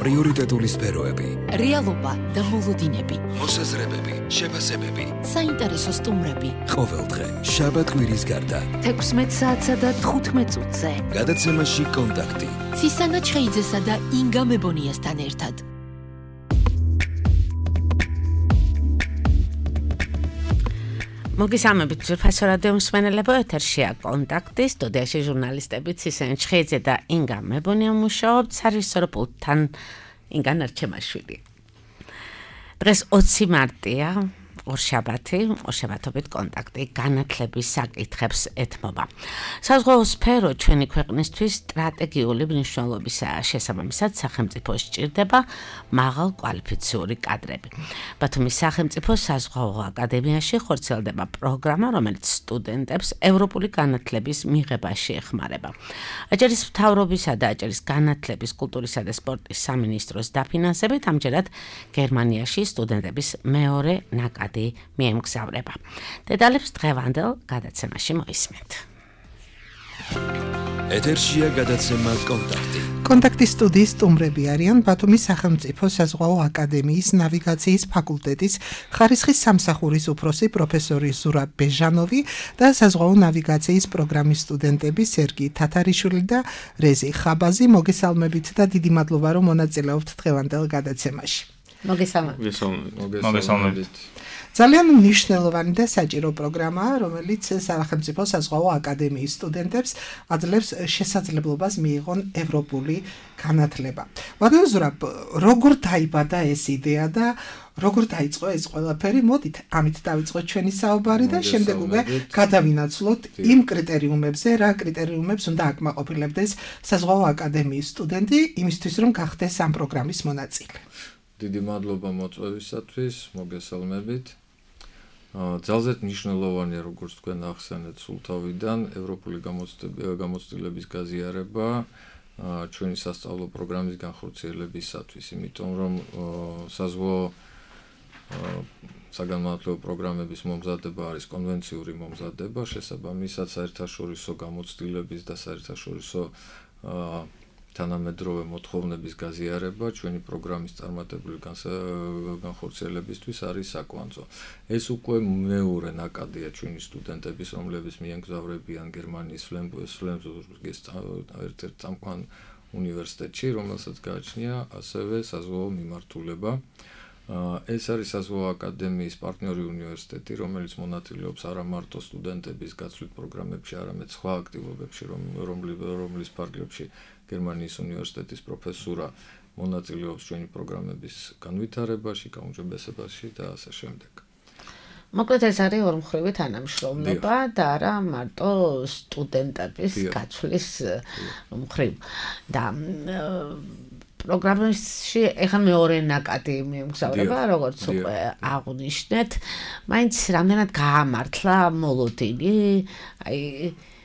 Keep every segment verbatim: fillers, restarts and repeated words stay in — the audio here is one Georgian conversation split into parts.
პრიორიტეტული სფეროები, რეალობა და მოლოდინები, მოსაზრებები, შეფასებები, საინტერესო სტუმრები. ყოველდღე შაბათ-კვირის გარდა თექვსმეტ საათსა და თხუთმეტ წუთზე. გადაცემაში კონტაქტი. ცისანა ჩხეიძესა და ინგა მებონიასთან ერთად. მოგესალმებით ძვირფასო რადიო მსმენელებო, ეთერშია კონტაქტი, სტუდიაში ჟურნალისტები ცისანა ჩხეიძე და ინგა მებონია მუშაობთ, სარეჟისორო პულტთან ინგა ნარჩემაშვილი. დღეს ოცი მარტია, ორშაბათი, ორშაბათობით კონტაქტი განათლების საკითხებს ეთმობა. საზღვაო სფერო ჩვენი ქვეყნისთვის სტრატეგიული მნიშვნელობისაა, შესაბამისად სახელმწიფოს სჭირდება მაღალ კვალიფიციური კადრები. ბათუმის სახელმწიფო საზღვაო აკადემიაში ხორციელდება პროგრამა, რომელიც სტუდენტებს ევროპული განათლების მიღებაში ეხმარება. აჭარის მთავრობისა და აჭარის განათლების, კულტურისა და სპორტის სამინისტროს დაფინანსებით ამჯერად გერმანიაში სტუდენტების მეორე ნაკადი მიემგზავრება. დეტალებს დღევანდელ გადაცემაში მოისმენთ. ეთერშია გადაცემა კონტაქტი. კონტაქტის სტუდიის სტუმრები არიან ბათუმის სახელმწიფო საზღვაო აკადემიის ნავიგაციის ფაკულტეტის ხარისხის სამსახურის უფროსი პროფესორი ზურაბ ბეჟანოვი და საზღვაო ნავიგაციის პროგრამის სტუდენტები სერგი თათარიშვილი და რეზი ხაბაზი. მოგესალმებით და დიდი მადლობა, რომ მონაწილეობთ დღევანდელ გადაცემაში. მოგესალმებით. მოგესალმებით. ძალიან მნიშვნელოვანი და საჭირო პროგრამაა, რომელიც სახელმწიფო საზღვაო აკადემიის სტუდენტებს აძლევს შესაძლებლობას მიიღონ ევროპული განათლება. ბატონო ზურაბ, როგორ დაიბადა ეს იდეა და როგორ დაიწყო ეს ყველაფერი? მოდით ამით დავიწყოთ ჩვენი საუბარი და შემდეგ უკვე გადავინაცვლოთ იმ კრიტერიუმებზე, რა კრიტერიუმებს უნდა აკმაყოფილებდეს საზღვაო აკადემიის სტუდენტი იმისთვის, რომ გახდეს ამ პროგრამის მონაწილე. დიდი მადლობა მოწვევისათვის, მოგესალმებით. ძალზედ მნიშვნელოვანია, როგორც თქვენ ახსენეთ სულ თავიდან, ევროპული გამოცდილების გაზიარება ჩვენი სასწავლო პროგრამის განხორციელებისათვის, იმიტომ რომ საზღვაო საგანმანათლებლო პროგრამების მომზადება არის კონვენციური მომზადება, შესაბამისად საერთაშორისო გამოცდილების და საერთაშორისო თანამედროვე მოთხოვნების გაზიარება ჩვენი პროგრამის წარმატებული განხორციელებისთვის არის საკვანძო. ეს უკვე მეორე ნაკადია ჩვენი სტუდენტების, რომლებიც მიემგზავრებიან გერმანიის ფლენბურგის ერთ-ერთ წამყვან უნივერსიტეტში, რომელსაც გააჩნია ასევე საზღვაო მიმართულება. ეს არის საზღვაო აკადემიის პარტნიორი უნივერსიტეტი, რომელიც მონაწილეობს არა მარტო სტუდენტების გაცვლით პროგრამებში, არამედ სხვა აქტივობებში, რომლის ფარგლებში გერმანიის უნივერსიტეტის პროფესურა მონაწილეობს ჩვენი პროგრამების განვითარებაში, გაუმჯობესებაში და ასე შემდეგ. მოკლედ ეს არის ორმხრივი თანამშრომლობა და არა მარტო სტუდენტების გაცვლის მხრივ. და პროგრამაში ეხლა მეორე ნაკადი მიემგზავრება, როგორც უკვე აღნიშნეთ, მაინც რამდენად გაამართლა მოლოდინი, აი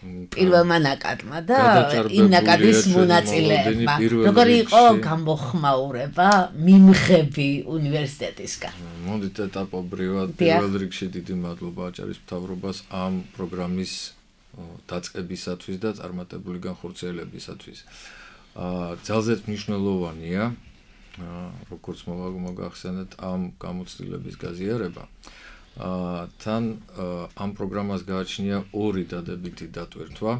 პირველმა ნაკადმა და იმ ნაკადის მონაწილეებმა. როგორი იყო გამოხმაურება, მიმღები უნივერსიტეტისგან? მოდით ეტაპობრივად, პირველ რიგში დიდი მადლობა აჭარის მთავრობას ამ პროგრამის დაწყებისათვის და წარმატებული განხორციელებისათვის. ძალზედ მნიშვნელოვანია, როგორც მოგახსენეთ, ამ გამოცდილების გაზიარება. თან ამ პროგრამას გააჩნია ორი დადებითი დატვირთვა,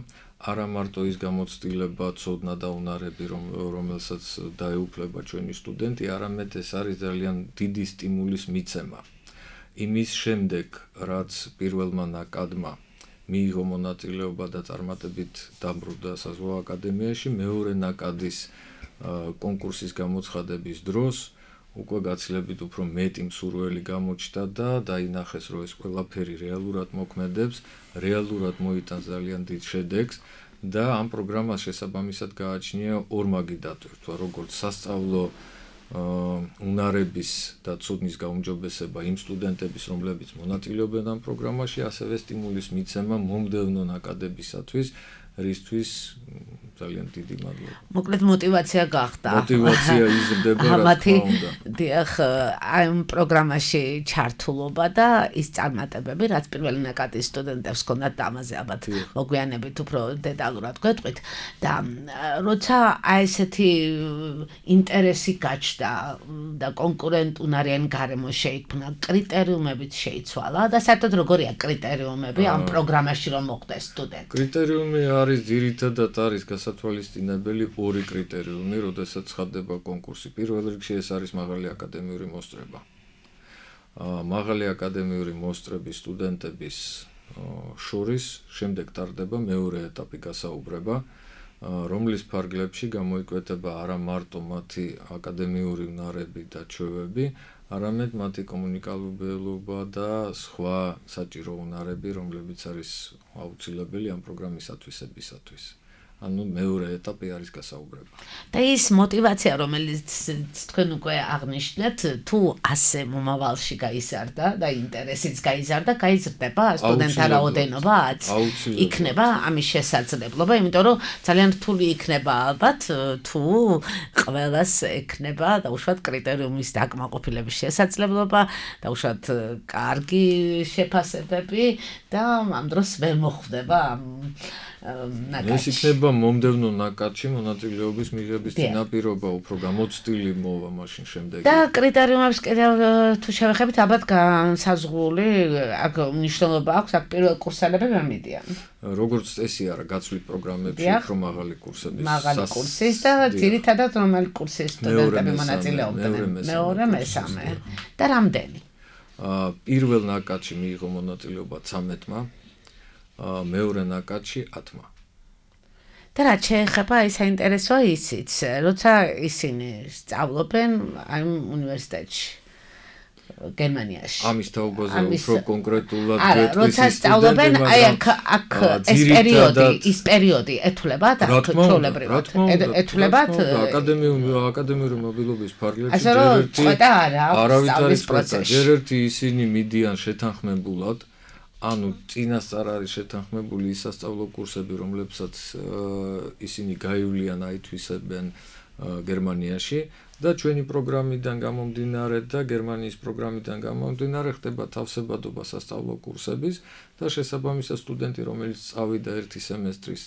არა მარტო ის გამოცდილება, ცოდნა და უნარები, რომელსაც დაეუფლება ჩვენი სტუდენტი, არამედ ეს არის ძალიან დიდი სტიმულის მიცემა. იმის შემდეგ, რაც პირველმა ნაკადმა მიიღო მონაწილეობა და წარმატებით დაბრუნდა საზღვაო აკადემიაში, მეორე ნაკადის კონკურსის გამოცხადების დროს უკვე გაცილებით უფრო მეტი მსურველი გამოჩნდა და დაინახეს, რომ ეს ყველაფერი რეალურად მოქმედებს, რეალურად მოიტანს ძალიან დიდ შედეგს და ამ პროგრამას შესაბამისად გააჩნია ორმაგი დატვირთვა, როგორც სასწავლო უნარების და ცოდნის გაუმჯობესება იმ სტუდენტების, რომლებიც მონაწილეობენ ამ პროგრამაში, ასევე სტიმულის მიცემა მომდევნო ნაკადებისათვის, რისთვის ძალიან დიდი მადლობა. მოკლედ მოტივაცია გახდა. მოტივაცია იზრდება რა ამათი თქმა უნდა. დიახ, აი ამ პროგრამაში ჩართულობა და ის წარმატებები, რაც პირველი ნაკადის სტუდენტებს ჰქონდათ და ამაზე ალბათ მოგვიანებით უფრო დეტალურად გვეტყვით და როცა აი ესეთი ინტერესი გაჩნდა და კონკურენტუნარიანი გარემო შეიქმნა, კრიტერიუმებით შეიცვალა და საერთოდ როგორია კრიტერიუმები ამ პროგრამაში რომ მოხდეს სტუდენტი? კრიტერიუმი არის ძირითადად არის გასათვალისწინებელი ორი კრიტერიუმი, როდესაც ხდება კონკურსი. პირველ რიგში ეს არის მაღალი აკადემიური მოსწრება. მაღალი აკადემიური მოსწრების სტუდენტების შორის შემდეგ ტარდება მეორე ეტაპი გასაუბრება, რომლის ფარგლებში გამოიკვეთება არა მარტო მათი აკადემიური უნარები და ჩვევები, არამედ მათი კომუნიკაბელობა და სხვა საჭირო უნარები, რომლებიც არის აუცილებელი ამ პროგრამისათვისებისათვის. ანუ მეორე ეტაპი არის გასაუბრება. და ის мотиваცია, რომელიც თქვენ უკვე აღნიშნეთ, თუ ასე მომავალში გაიზარდა და ინტერესიც გაიზარდა, გაიზრდება სტუდენტთა რაოდენობაც, იქნება ამის შესაძლებლობა, იმიტომ რომ ძალიან რთული იქნება ალბათ, თუ ყველას ექნება დაუშვათ კრიტერიუმის დაკმაყოფილების შესაძლებლობა, დაუშვათ კარგი შეფასებები და ამ დროს ვერ მოხვდება ამ ნაკადში. ეს იქნება მომდევნო ნაკადში მონაწილეობის მიღების წინაპირობა, უფრო გამოცდილი მოვა მაშინ შემდეგ. და კრიტერიუმებს კიდევ თუ შევეხებით, ალბათ განსაზღვრული აქ მნიშვნელობა აქვს, აქ პირველ კურსელები ვერ მიდიან. როგორც წესი არა, გაცვლით პროგრამებში უფრო მაღალი კურსების. მაღალი კურსის და ძირითადად რომელი კურსის სტუდენტები მონაწილეობდნენ? მეორე, მესამე და რამდენი? პირველ ნაკადში მიიღო მონაწილეობა ცამეტმა. მეორე ნაკადში ათმა. და რაც შეეხება ის საინტერესოა ისიც, როცა ისინი სწავლობენ ამ უნივერსიტეტში გერმანიაში. ამის თაობაზე უფრო კონკრეტულად გეტყვის ის როცა სწავლობენ, აი აქ აქ ეს პერიოდი, ის პერიოდი ეთვლებათ ჩვეულებრივად. ეთვლებათ აკადემიური აკადემიური მობილობის ფარგლებში ჯერ ერთი არავითარ პროცესში. ჯერ ერთი ისინი მიდიან შეთანხმებულად. ანუ წინასწარ არის შეთანხმებული ის სასწავლო კურსები, რომლებსაც ისინი გაივლიან აითვისებენ გერმანიაში და ჩვენი პროგრამიდან გამომდინარე და გერმანიის პროგრამიდან გამომდინარე ხდება თავსებადობა სასწავლო კურსების და შესაბამისად სტუდენტი, რომელიც წავიდა ერთი სემესტრის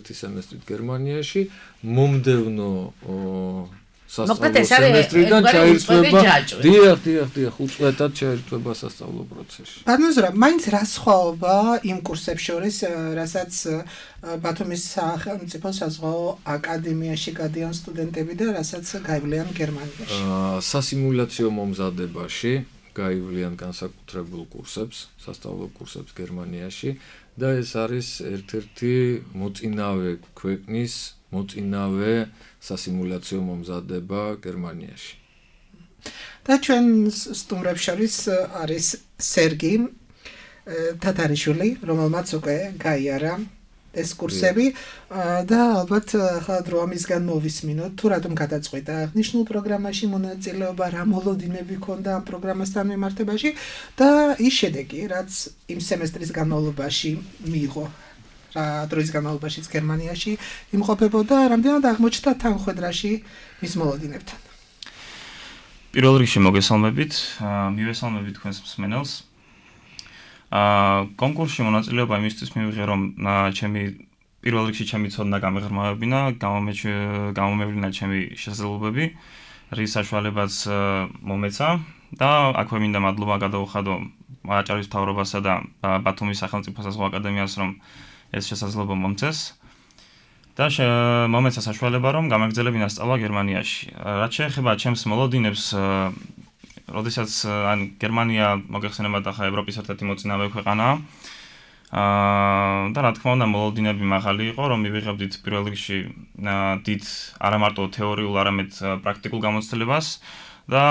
ერთი სემესტრით გერმანიაში, მომდევნო სასწავლო სემესტრიდან ჩაირთვება. დიახ, დიახ, დიახ, უწყვეტად ჩაირთვება სასწავლო პროცესში. ბატონო, მაინც რა სხვაობა იმ კურსებს შორის, რასაც ბათუმის სახელმწიფო საზღვაო აკადემიაში გადიან სტუდენტები და რასაც გაივლიან გერმანიაში? სასიმულაციო მომზადებაში გაივლიან განსაკუთრებულ კურსებს, სასწავლო კურსებს გერმანიაში და ეს არის ერთ-ერთი მოწინავე ქვეყნის მოწინავე სასიმულაციო მომზადება გერმანიაში. და ჩვენ სტუმრებს შორის არის სერგი თათარიშვილი, რომელმაც უკვე გაიარა ეს კურსები და ალბათ ხა დრო ამისგან მოვისმინოთ, თუ რატომ გადაწყვიტა აღნიშნულ პროგრამაში მონაწილეობა, რა მოლოდინები ჰქონდა ამ პროგრამასთან მიმართებაში და ის შედეგი, რაც იმ სემესტრის განმავლობაში მიიღო. დროის განმავლობაშიც გერმანიაში იმყოფებოდა, რამდენად აღმოჩნდა თანხმედრაში მის მოლოდინებთან. პირველ რიგში მოგესალმებით, მივესალმებით თქვენს მსმენელს. კონკურსში მონაწილეობა იმისთვის მივიღე, რომ ჩემი პირველ რიგში ჩემი ცოდნა გამეღრმავებინა, გამომევლინა ჩემი შესაძლებლობები, რის საშუალებაც მომეცა და აქვე მინდა მადლობა გადაუხადო აჭარის მთავრობასა და ბათუმის სახელმწიფო საზღვაო აკადემიას, რომ ეს შესაძლებლობა მომწეს და მომეცა საშუალება, რომ გამაგრძელებინა სწავლა გერმანიაში. რაც შეეხება ჩემს მოლოდინებს, როდესაც ან გერმანია მოგეხსენებათ ახლა ევროპის ერთ-ერთი მოწინავე ქვეყანაა. და რა თქმა უნდა მოლოდინები მაღალი იყო, რომ მივიღებდით პირველ რიგში დიდ არა მარტო თეორიულ, არამედ პრაქტიკულ გამოცდილებას და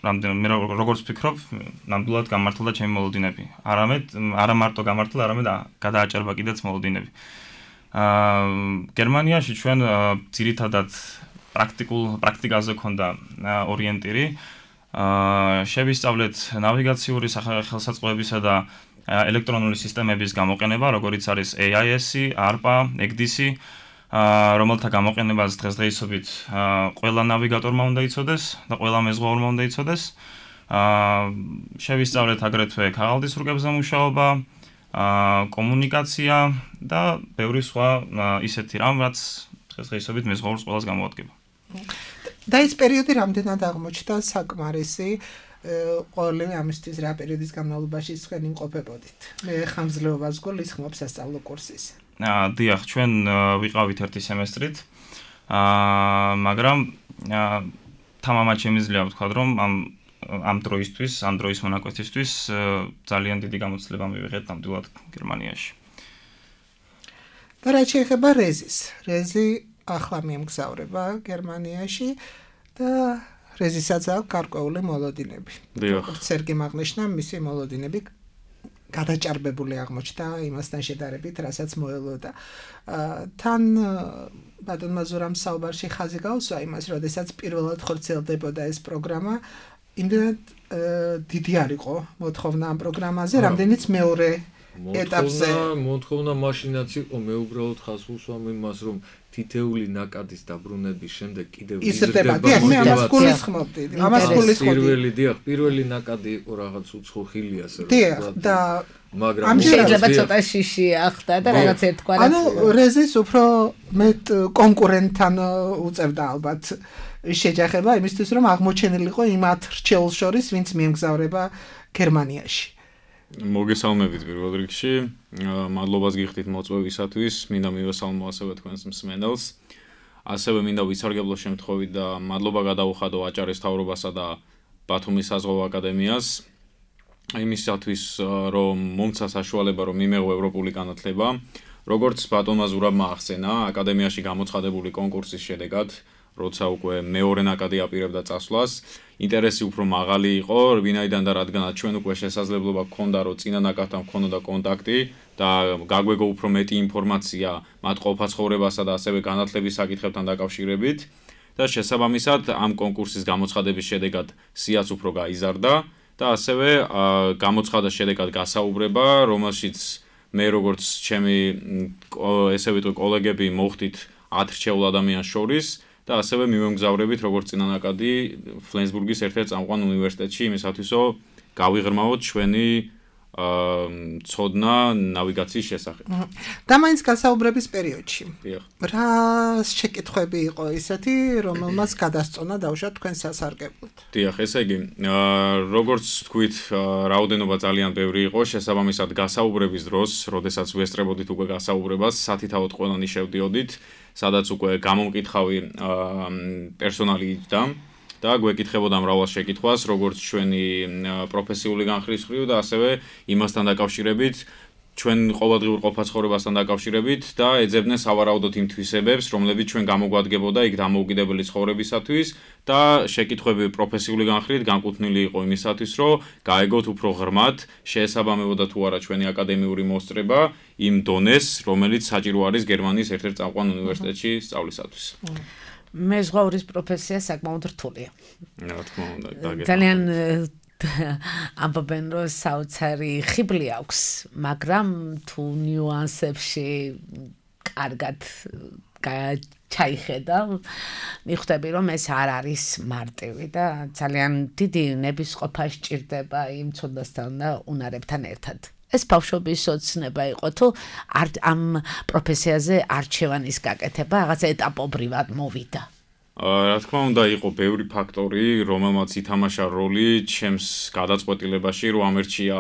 რამდენ მე როგორც ვფიქრობ, ნამდვილად გამართლდა ჩემი მოლოდინები. არამედ არა მარტო გამართლა, არამედ გადააჭერბა კიდეც მოლოდინები. აა გერმანიაში ჩვენ ძირითადად პრაქტიკულ პრაქტიკაზე ქონდა ორიენტირი. აა შევისწავლეთ ნავიგაციური ხელსაწყოებისა და ელექტრონული სისტემების გამოყენება, როგორიც არის ეი აი ესი, არპა, ეგ დი სი აა რომელთა გამოყენებას დღესდღეობით ყველა ნავიგატორმა უნდა იცოდეს და ყველა მეზღვაურმა უნდა იცოდეს. აა შევისწავლეთ აგრეთვე ქაღალდის რუკებზე მუშაობა, აა კომუნიკაცია და ბევრი სხვა ისეთი რამ, რაც დღესდღეობით მეზღვაურს ყველას გამოადგება. და ეს პერიოდი რამდენად აღმოჩნდა საკმარისი ყოველივე ამისთვის რა პერიოდის განმავლობაში თქვენ იმყოფებოდით? მე ხანგრძლივობას გოლის ხმობ სასწავლო კურსის. აა დიახ, ჩვენ ვიყავით ერთი სემესტრით. აა მაგრამ თამამად შემიძლია ვთქვა, რომ ამ ამ დროისთვის, ამ დროის მონაკვეთისთვის ძალიან დიდი გამოცდილება მივიღეთ ნამდვილად გერმანიაში. და რაც შეეხება რეზის, რეზი ახლა მიემგზავრება გერმანიაში და რეზისაც აქვს გარკვეული მოლოდინები. როგორც სერგი აღნიშნა, მისი მოლოდინები გადაჭარბებული აღმოჩნდა იმასთან შედარებით, რასაც მოელოდა. თან ბატონმა ზურამ საუბარში ხაზი გაუსვა იმას, როდესაც პირველად ხორციელდებოდა ეს პროგრამა, იმდენად დიდი არ იყო მოთხოვნა ამ პროგრამაზე, რამდენიც მეორე ეტაპზე. მოთხოვნა მაშინაც იყო, მე უბრალოდ ხაზს უსვამ იმას, რომ თითეული ნაკადის დაბრუნების შემდეგ კიდევ იზრდება. დიახ, მე ამას გულისხმობდი. ამას გულისხმობდი. პირველი, დიახ, პირველი ნაკადი იყო რაღაც უცხო ხილი ასე რომ. დიახ, და მაგრამ შეიძლება ცოტა შიში ახდა და რაღაც ერთგვარად. ანუ რეზის უფრო მეტ კონკურენტთან უწევდა ალბათ შეჯახება იმისთვის, რომ აღმოჩენილიყო იმ ათ რჩეულს შორის, ვინც მიემგზავრება გერმანიაში. მოგესალმებით პირველ რიგში. მადლობას გიხდით მოწვევისათვის. მინდა მივესალმო ასევე თქვენს მსმენელს. ასევე მინდა ვისარგებლო შემთხვევით და მადლობა გადაუხადო აჭარის მთავრობასა და ბათუმის საზღვაო აკადემიას იმისათვის, რომ მომცა საშუალება, რომ მიმეღო ევროპული განათლება. როგორც ბატონმა ზურაბმა ახსენა, აკადემიაში გამოცხადებული კონკურსის შედეგად, როცა უკვე მეორე ნაკადი აპირებდა წასვლას, ინტერესი უფრო მაღალი იყო, ვინაიდან და რადგანაც ჩვენ უკვე შესაძლებლობა გქონდა, რომ წინა ნაკადთან გქონოდა კონტაქტი და გაგვეგო უფრო მეტი ინფორმაცია მათ ყოფაცხოვრებასა და ასევე განათლების საკითხებთან დაკავშირებით და შესაბამისად ამ კონკურსის გამოცხადების შედეგად სიაც უფრო გაიზარდა და ასევე გამოცხადა შედეგად გასაუბრება, რომელშიც მე როგორც ჩემი ესე ვიტყვი კოლეგები მოხდით ათ რჩეულ ადამიანს შორის და ასევე მივემგზავრებით როგორც წინანაკადი ფლენსბურგის ერთ-ერთ წამყვან უნივერსიტეტში იმისათვის, რომ გავიღრმავოთ ჩვენი ცოდნა ნავიგაციის შესახებ. და მაინც გასაუბრების პერიოდში. რა შეკითხვები იყო ისეთი, რომელმაც გადასწონა დავშვა თქვენ სასარგებლოდ? დიახ, ესე იგი, როგორც თქვით, რაოდენობა ძალიან ბევრი იყო, შესაბამისად გასაუბრების დროს, როდესაც ვესწრებოდით უკვე გასაუბრებას, სათითაოდ ყველანი შევდიოდით, სადაც უკვე გამომკითხავი პერსონალი იჯდა და გვეკითხებოდა მრავალ შეკითხვას, როგორც ჩვენი პროფესიული განხრის მხრივ და ასევე იმასთან დაკავშირებით, ჩვენ ყოველდღიურ ყოფაცხოვრებასთან დაკავშირებით და ეძებდნენ სავარაუდოდ იმ თვისებებს, რომლებიც ჩვენ გამოგვადგებოდა იქ დამოუკიდებელი ცხოვრებისათვის და შეკითხვები პროფესიული განხრით განკუთვნილი იყო იმისათვის, რომ გაეგოთ უფრო ღრმად, შეესაბამებოდა თუ არა ჩვენი აკადემიური მოსწრება იმ დონეს, რომელიც საჭირო არის გერმანიის ერთ-ერთ წამყვან უნივერსიტეტში სწავლისათვის. მეზღვაურის პროფესია საკმაოდ რთულია. რა თქმა უნდა, ძალიან ამბობენ, რომ საოცარი ხიბლი აქვს, მაგრამ თუ ნიუანსებში კარგად ჩაიხედა, მიხვდები, რომ ეს არ არის მარტივი და ძალიან დიდი ნებისყოფა სჭირდება იმ ცოდნასთან და უნარებთან ერთად. ეს ბავშვობის ოცნება იყო, თუ ამ პროფესიაზე არჩევანის გაკეთება რაღაც ეტაპობრივად მოვიდა. რა თქმა უნდა, იყო ბევრი ფაქტორი, რომელმაც ითამაშა როლი ჩემს გადაწყვეტილებაში, რომ ამერჩია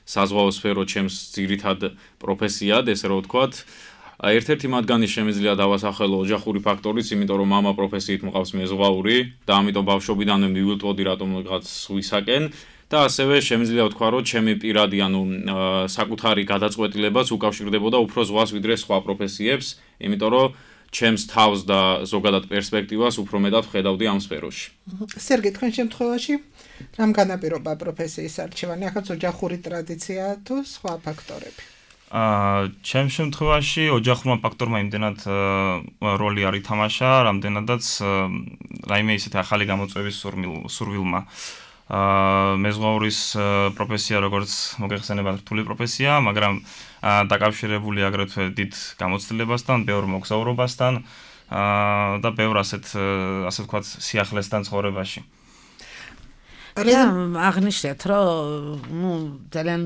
საზღვაო სფერო ჩემს ძირითად პროფესიად, ესე რომ ვთქვათ. ერთ-ერთი მათგანი შემიძლია დავასახელო ოჯახური ფაქტორიც, იმიტომ რომ მამა პროფესიით მყავს მეზღვაური და ამიტომ ბავშვობიდანვე მივილტვოდი რატომღაც სხვისაკენ. და ასევე შემიძლია ვთქვა, რომ ჩემი პირადი, ანუ საკუთარი გადაწყვეტილებაც უკავშირდებოდა უფრო ზღვას ვიდრე სხვა პროფესიებს, იმიტომ რომ ჩემს თავს და ზოგადად პერსპექტივას უფრო მეტად ვხედავდი ამ სფეროში. სერგი, თქვენ შემთხვევაში რამ განაპირობა პროფესიის არჩევანი, ახაც ოჯახური ტრადიცია თუ სხვა ფაქტორები? აა, ჩემ შემთხვევაში ოჯახურმა ფაქტორმა იმდენად როლი არ ითამაშა, რამდენადაც რაიმე ისეთი ახალი გამოწვევის სურვილმა. აა მეზღვაურის პროფესია როგორც მოგეხსენებათ რთული პროფესია, მაგრამ დაკავშირებული აგრეთვე დიდ გამოცდილებასთან, ბევრ მოგზაურობასთან აა და ბევრ ასეთ ასე ვთქვათ სიახლესთან ცხოვრებაში. რა აღნიშნეთ, რომ ნუ ძალიან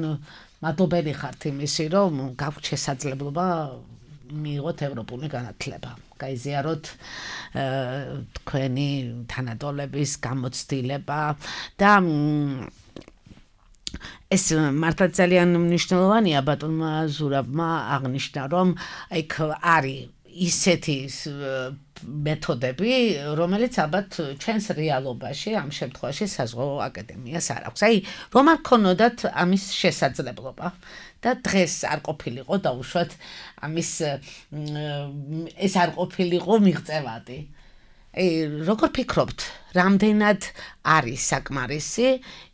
მადლობელი ხართ იმისი, რომ გაქვთ შესაძლებლობა მიიღოთ ევროპული განათლება. გაიზიაროთ თქვენი თანატოლების გამოცდილება და ეს მართლა ძალიან მნიშვნელოვანია ბატონმა ზურაბმა აღნიშნა, რომ იქ არის ისეთი მეთოდები, რომელიც ალბათ ჩვენს რეალობაში ამ შემთხვევაში საზღვაო აკადემიას არ აქვს. აი, რომ არ ქონოდათ ამის შესაძლებლობა და დღეს არ ყოფილიყო დაუშვათ ამის ეს არ ყოფილიყო მიღწევადი. აი, როგორ ფიქრობთ, რამდენად არის საკმარისი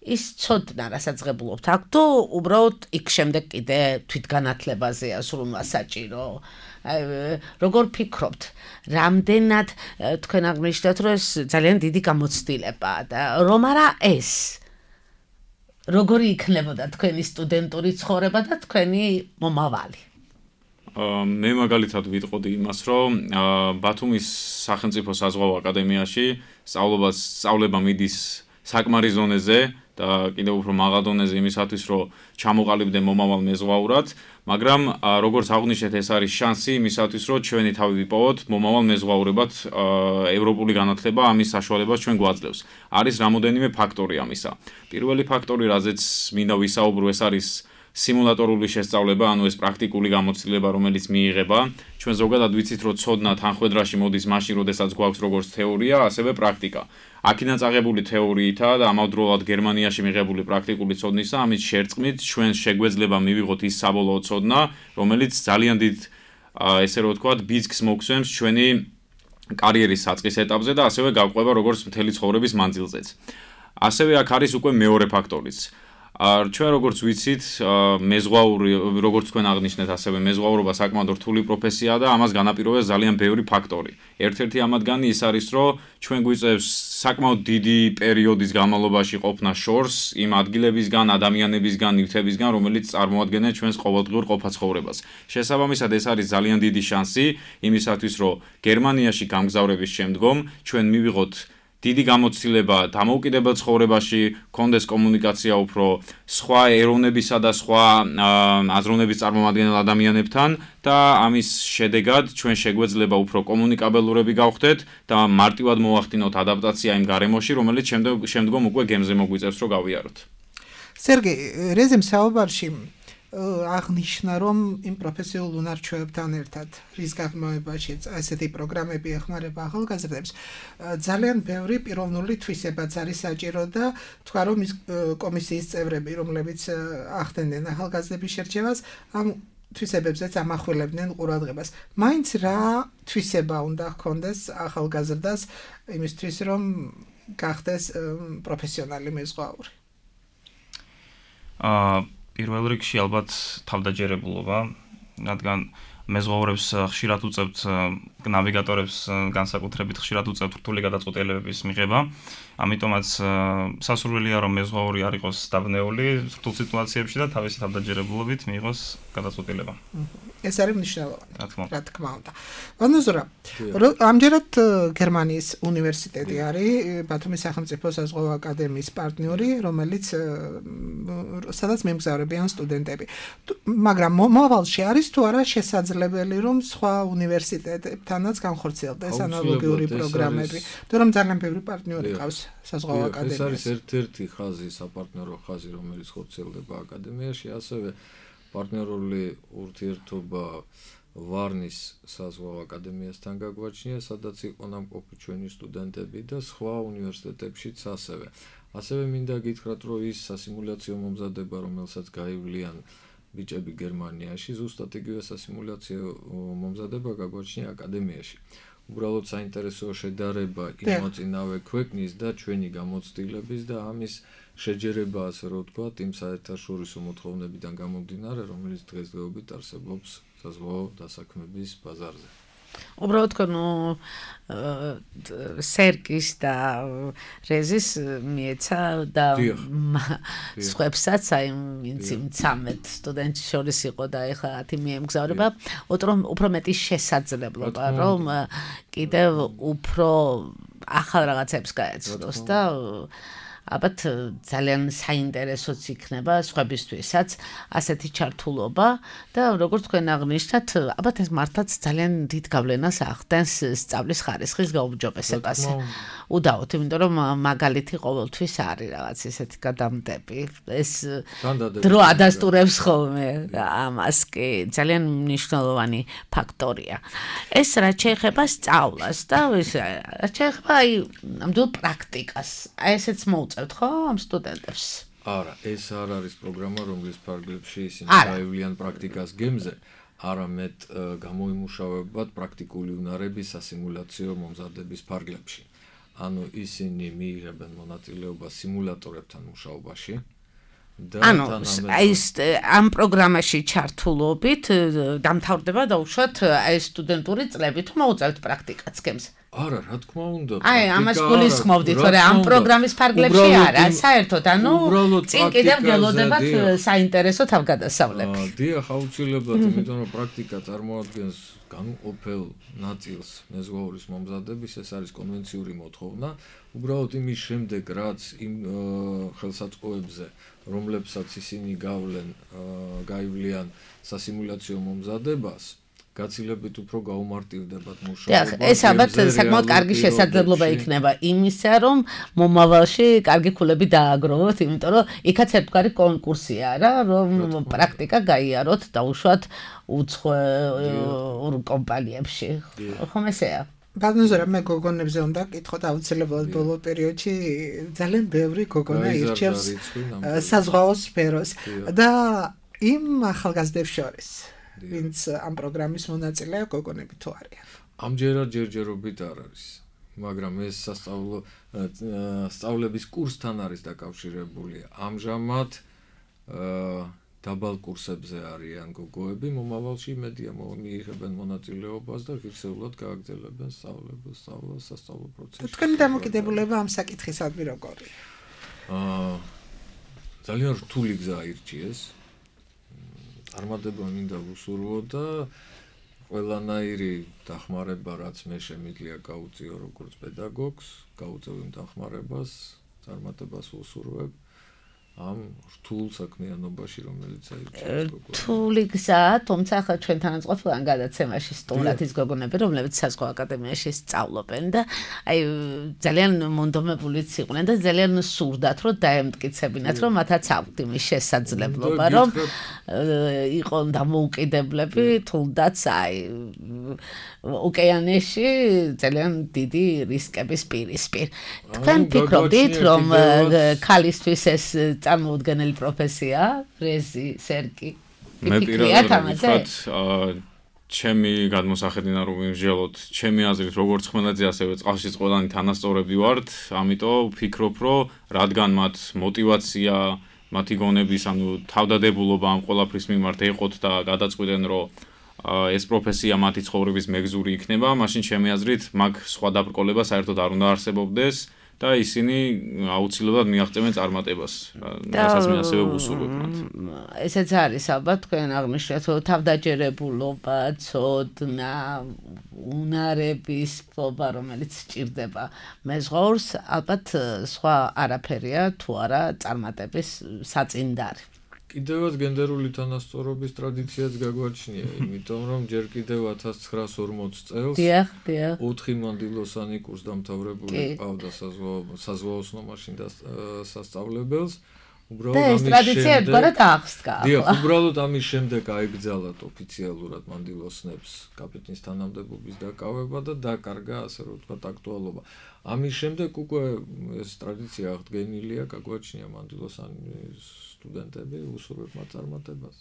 ის ცოდნა, რასაც ღებულობთ აქ, თუ უბრალოდ იქ შემდეგ კიდე თვითგანათლებაზეა სრულმა საჭირო? როგორ ფიქრობთ, რამდენად თქვენ აღნიშნეთ, რომ ეს ძალიან დიდი გამოცდილებაა და რომ არა ეს როგორი იქნებოდა თქვენი სტუდენტური ცხოვრება და თქვენი მომავალი? მე მაგალითად ვიტყოდი იმას, რომ ბათუმის სახელმწიფო საზღვაო აკადემიაში სწავლობა სწავლება მიდის საკმარის ზონეზე და კიდევ უფრო მაღალ დონეზე იმისათვის, რომ ჩამოყალიბდე მომავალ მეზღვაურად, მაგრამ როგორც აღნიშნეთ, ეს არის შანსი იმისათვის, რომ ჩვენი თავი ვიპოვოთ მომავალ მეზღვაურებად ევროპული განათლება, ამის საშუალებას ჩვენ გვაძლევს. არის რამოდენიმე ფაქტორი ამისა. პირველი ფაქტორი, რაზეც მინდა ვისაუბრო, ეს არის სიმულატორული შესწავლება, ანუ ეს პრაქტიკული გამოცდილება, რომელიც მიიღება. ჩვენ ზოგადად ვიცით, რომ ცოდნა თანხმედრაში მოდის მაშინ, როდესაც გვაქვს როგორც თეორია, ასევე პრაქტიკა. აქედან წაღებული თეორიითა და ამავდროულად გერმანიაში მიღებული პრაქტიკული ცოდნისა, ამის შერწყმით ჩვენ შეგვეძლება მივიღოთ ის საბოლოო ცოდნა, რომელიც ძალიან დიდ ესე რომ ვთქვათ, ბიძგს მოგცემს ჩვენი კარიერის საწყის ეტაპზე და ასევე გავყვება როგორც მთელი ცხოვრების მანძილზეც. ასევე აქ არის უკვე მეორე ფაქტორიც. ჩვენ როგორც ვიცით, მეზღვაური, როგორც თქვენ აღნიშნეთ, ასევე მეზღვაურობა საკმაოდ რთული პროფესიაა და ამას განაპირობებს ძალიან ბევრი ფაქტორი. ერთ-ერთი ამათგანი ის არის, რომ ჩვენ გვიწევს საკმაოდ დიდი პერიოდის განმავლობაში ყოფნა შორს იმ ადგილებისგან, ადამიანებისგან, ნივთებისგან, რომელიც წარმოადგენენ ჩვენს ყოველდღიურ ყოფა-ცხოვრებას. შესაბამისად, ეს არის ძალიან დიდი შანსი იმისათვის, რომ გერმანიაში გამგზავრების შემდგომ ჩვენ მივიღოთ დიდი გამოცდილება დამოუკიდებელ ცხოვრებაში, კონდეს კომუნიკაცია უფრო სხვა ეროვნებისა და სხვა აზროვნების წარმომადგენელ ადამიანებთან და ამის შედეგად ჩვენ შეგვეძლება უფრო კომუნიკაბელურები გავხდეთ და მარტივად მოახდინოთ ადაპტაცია იმ გარემოში, რომელიც შემდგომ უკვე გემზე მოგვიწევს, რომ გავიაროთ. სერგეი, რეზემ საუბარში აღნიშნა, რომ იმ პროფესიულ უნარჩვევებთან ერთად, რის გაღრმავებაშიც ასეთი პროგრამები ეხმარება ახალგაზრდებს, ძალიან ბევრი პიროვნული თვისებაც არის საჭირო და თქვა, რომ ის კომისიის წევრები, რომლებიც ახდენდნენ ახალგაზრდების შერჩევას, ამ თვისებებზეც ამახვილებდნენ ყურადღებას. მაინც რა თვისება უნდა ჰქონდეს ახალგაზრდას იმისთვის, რომ გახდეს პროფესიონალი მეზღვაური? აა პირველ რიგში ალბათ თავდაჯერებულობა, რადგან მეზღვაურებს ხშირად უწევთ ნავიგატორებს განსაკუთრებით ხშირად უწევთ რთული გადაწყვეტილებების მიღება. ამიტომაც სასურველია, რომ მეზღვაური არ იყოს დაბნეული რთულ სიტუაციებში და თავისი თავდაჯერებულობით მიიღოს გადაწყვეტილება. ეს არის მნიშვნელოვანი. რა თქმა უნდა. ვანოზურა, ამჯერად გერმანიის უნივერსიტეტი არის ბათუმის სახელმწიფო საზღვაო აკადემიის პარტნიორი, რომელიც სადაც მიემგზავრებიან სტუდენტები. მაგრამ მომავალში არის თუ არა შესაძლებელი, რომ სხვა უნივერსიტეტებთანაც განხორციელდეს ანალოგიური პროგრამები, თუ რომ ძალიან ბევრი პარტნიორი ყავს საზღვაო აკადემიას. ეს არის ერთ-ერთი ხაზი, საპარტნიორო ხაზი, რომელიც ხორციელდება აკადემიაში, ასევე პარტნიორული ურთიერთობა ვარნის საზღვაო აკადემიასთან გაგვაჩნია, სადაც იყო ნამყოფი ჩვენი სტუდენტები და სხვა უნივერსიტეტებშიც ასევე. ასევე მინდა გითხრათ, რომ ის სასიმულაციო მომზადება, რომელსაც გაივლიან ბიჭები გერმანიაში, ზუსტად იგივე სასიმულაციო მომზადება გაგვაჩნია აკადემიაში. უბრალოდ საინტერესო შედარება იმ მოწინავე ქვეყნის და ჩვენი გამოცდილების და ამის შეჯერება, ასე რომ ვთქვათ, იმ საერთაშორისო მოთხოვნებიდან გამომდინარე, რომელიც დღესდღეობით არსებობს საზღვაო დასაქმების ბაზარზე. უბრალოდ ნუ სერკის და რეზის მიეცა და სხვებსაც აი ვინც იმ ცამეტ სტუდენტს შორის იყო და ეხლა ათი მიემგზავრება უფრო მეტი შესაძლებლობა რომ კიდევ უფრო ახალ რაღაცებს გაეცნოს და ალბათ ძალიან საინტერესოც იქნება სხვებისთვისაც ასეთი ჩართულობა და როგორც თქვენ აღნიშნათ, ალბათ ეს მართლაც ძალიან დიდ გავლენას ახდენს სწავლის ხარისხის გაუმჯობესებაზე. უდაოდ, იმიტომ რომ მაგალითი ყოველთვის არის რაღაც ესეთი გადამდები. ეს დრო ადასტურებს ხოლმე ამას კი ძალიან მნიშვნელოვანი ფაქტორია. ეს რაც შეეხება სწავლას და ეს რაც შეეხება აი ნამდვილ პრაქტიკას. აი ესეც მოუწევთ ხო ამ სტუდენტებს? არა, ეს არ არის პროგრამა, რომლის ფარგლებში ისინი გაივლიან პრაქტიკას გემზე, არამედ გამოიმუშავებად პრაქტიკული უნარების სასიმულაციო მომზადების ფარგლებში. ანუ ისინი მიიღებენ მონაწილეობას სიმულატორებთან მუშაობაში. ანუ აი ამ პროგრამაში ჩართულობით დამთავრდება დაუშვათ აი სტუდენტური წლები თუ მოუწევთ პრაქტიკაც გემზე? არა, რა თქმა უნდა. აი, ამას გულისხმობდით, რომ ამ პროგრამის ფარგლებში არა, საერთოდ, ანუ წინ კიდევ გელოდებათ საინტერესო თავგადასავლები. დიახ, აუცილებლად, იმიტომ რომ პრაქტიკა წარმოადგენს განუყოფელ ნაწილს მეზღვაურის მომზადების, ეს არის კონვენციური მოთხოვნა. უბრალოდ იმის შემდეგ, რაც იმ ხელსაწყოებზე, რომლებსაც ისინი გავლენ, გაივლიან სასიმულაციო მომზადებას, გაცილებით უფრო გაუმარტივდებათ მუშაობა. ეს ალბათ საკმაოდ კარგი შესაძლებლობა იქნება იმისა, რომ მომავალში კარგი ქულები დააგროვოთ, იმიტომ რომ იქაც ერთგვარი კონკურსია რა, რომ პრაქტიკა გაიაროთ დაუშვათ უცხოურ კომპანიებში. ხომ ესეა? ბატონო, მე გოგონებზე უნდა კითხოთ აუცილებლად ბოლო პერიოდში ძალიან ბევრი გოგონა ირჩევს საზღვაო სფეროს და იმ ახალგაზრდებს შორის ვინც ამ პროგრამის მონაწილეა გოგონები თუ არიან. ამჯერად ჯერჯერობით არ არის, მაგრამ ეს სასწავლო სწავლების კურსთან არის დაკავშირებული. ამჟამად დაბალ კურსებზე არიან გოგოები, მომავალში მედია მიიღებენ მონაწილეობას და ღირსეულად გააგრძელებენ სწავლებებს, სწავლას, სასწავლო პროცესს. თქვენი დამოკიდებულება ამ საკითხისადმი როგორია? აა ძალიან რთული გზა აირჩიეს. წარმატება მინდა ვუსურვო და ყველანაირი დახმარება, რაც მე შემიძლია გავუწიო როგორც პედაგოგს, გავუწევ იმ დახმარებას, წარმატებას ვუსურვებ ამ რთულ საქმიანობაში, რომელიც აირჩიეს გოგონებს. რთული გზა, თუმცა ახლა ჩვენთან აწყვეტილან გადაცემაში სტუმრად ის გოგონები, რომლებიც საზღვაო აკადემიაში სწავლობენ და აი ძალიან მონდომებულიც იყვნენ და ძალიან სურდათ, რომ დაემტკიცებინათ, რომ მათაც აქვთ იმის შესაძლებლობა, რომ იყონ დამოუკიდებლები, თუნდაც აი ოკეანეში ძალიან დიდი რისკების პირისპირ. თქვენ ფიქრობთ, რომ ქალისთვის ეს წარმოუდგენელი პროფესია, რეზი, სერკი? მე პირადად ვთქვათ, ჩემი გადმოსახედინა რომ ვიმსჯელოთ, ჩემი აზრით როგორც ხმელეთზე, ასევე წყალშიც ყველანი თანასწორები ვართ, ამიტომ ვფიქრობ, რომ რადგან მათ мотиваცია, მათი გონების, ანუ თავდადებულობა ამ ყველაფრის მიმართ ეყოთ და გადაწყვიტენ, რომ ეს პროფესია მათი ცხოვრების მეგზური იქნება, მაშინ ჩემი აზრით მაგ სხვა დაბრკოლება საერთოდ არ უნდა არსებობდეს. და ისინი აუცილებლად მიაღწევენ წარმატებას, რასაც მე ასევე ვუსურვებ მათ. ესეც არის ალბათ თქვენ აღნიშნეთ, რომ თავდაჯერებულობა, ცოდნა, უნარების ფობა, რომელიც სჭირდება მეზღვაურს, ალბათ სხვა არაფერია თუ არა წარმატების საწინდარი. კიდევაც გენდერული თანასწორობის ტრადიციაც გაგვაჩნია, იმიტომ რომ ჯერ კიდევ ათას ცხრაას ორმოც წელს ოთხი მანდილოსანი კურსდამთავრებული ყავდა საზღვაო ოსნობაში და სასწავლებელს. და ეს ტრადიცია ერთგვარად აღსდგა. დიახ, უბრალოდ ამის შემდეგ აიგზავნათ ოფიციალურად მანდილოსნებს კაპიტნის თანამდებობის დაკავება და დაკარგა, ასე რომ ვთქვათ, აქტუალობა. ამის შემდეგ უკვე ეს ტრადიცია აღდგენილია, გაგვაჩნია მანდილოსანის სტუდენტები უსურვებ მათ წარმატებას.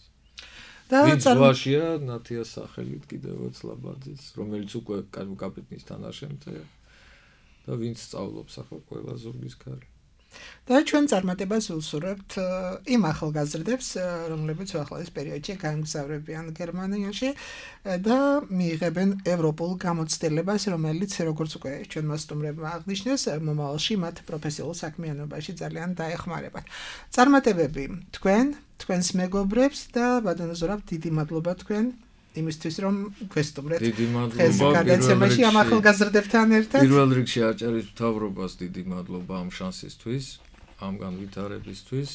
და ზღვაშია ნათიას სახელით კიდევაც ლაბაძის, რომელიც უკვე კაპიტნის თანაშემწეა და ვინც სწავლობს ახლა ყველა ზურგის ქარი. და ჩვენ წარმატებას ვუსურვებთ იმ ახალგაზრდებს, რომლებიც ახალ პერიოდში გაემგზავრებიან გერმანიაში და მიიღებენ ევროპულ გამოცდილებას, რომელიც როგორც უკვე ჩვენმა სტუმრებმა აღნიშნეს, მომავალში მათ პროფესიულ საქმიანობაში ძალიან დაეხმარებათ. წარმატებები თქვენ, თქვენს მეგობრებს და ბატონო ზურაბ, დიდი მადლობა თქვენ იმისთვის რომ გვესტუმრეთ. დიდი მადლობა გადაცემაში ამ ახალგაზრდებთან ერთად. პირველ რიგში აჭარის მთავრობას დიდი მადლობა ამ შანსისთვის, ამ განვითარებისთვის,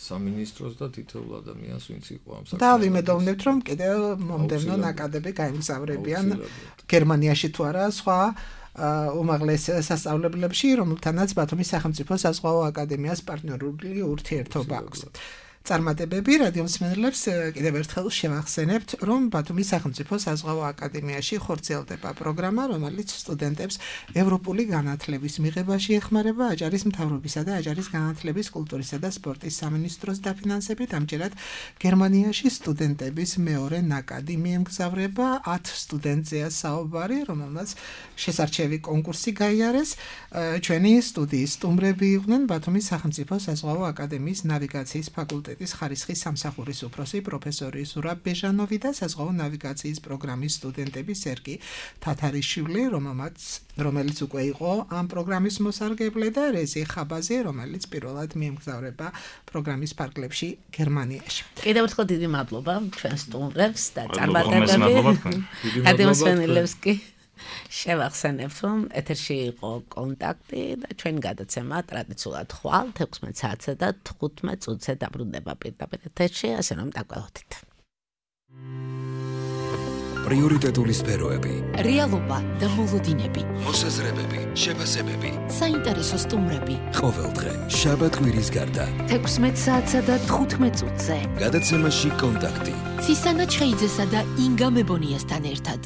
სამინისტროს და თითოეულ ადამიანს, ვინც იყო ამ საქმეში. და ვიმედოვნებთ, რომ კიდევ მომდევნო ნაკადები გაემგზავრებიან გერმანიაში თუ არა სხვა უმაღლეს სასწავლებლებში, რომელთანაც ბათუმის სახელმწიფო საზღვაო აკადემიას პარტნიორული ურთიერთობა აქვს. წარმატებები რადიო მსმენელებს კიდევ ერთხელ შევახსენებთ, რომ ბათუმის სახელმწიფო საზღვაო აკადემიაში ხორციელდება პროგრამა, რომელიც სტუდენტებს ევროპული განათლების მიღებაში ეხმარება აჭარის მთავრობისა და აჭარის განათლების, კულტურისა და სპორტის სამინისტროს დაფინანსებით. ამჯერად გერმანიაში სტუდენტების მეორე ნაკადი მიემგზავრება, ათ სტუდენტზეა საუბარი, რომელმაც შესარჩევი კონკურსი გაიარეს. ჩვენი სტუდიის სტუმრები იყვნენ ბათუმის სახელმწიფო საზღვაო აკადემიის ნავიგაციის ფაკულტეტის ხარისხის სამსახურის უფროსი პროფესორი ზურაბ ბეჟანოვი და საზღვაო ნავიგაციის პროგრამის სტუდენტები სერგი თათარიშვილი, რომელმაც რომელიც უკვე იყო ამ პროგრამის მოსარგებლე და რეზი ხაბაზი, რომელიც პირველად მიემგზავრება პროგრამის ფარგლებში გერმანიაში. კიდევ ერთხელ დიდი მადლობა ჩვენ სტუმრებს და წარმატებები. გადამოსვენელებს კი შევახსენებთ, რომ ეთერში იყო კონტაქტი და ჩვენი გადაცემა ტრადიციულად ხვალ თექვსმეტ საათზე და თხუთმეტ წუთზე დაბრუნდება პირდაპირ ეთერში, ასე რომ დაგველოდით. პრიორიტეტული სფეროები, რეალობა და მოლოდინები, მოსაზრებები, შეფასებები, საინტერესო სტუმრები. ყოველდღე შაბათ კვირის გარდა თექვსმეტ საათსა და თხუთმეტ წუთზე გადაცემაში კონტაქტი. ცისანა ჩხეიძესა და ინგა მებონიასთან ერთად.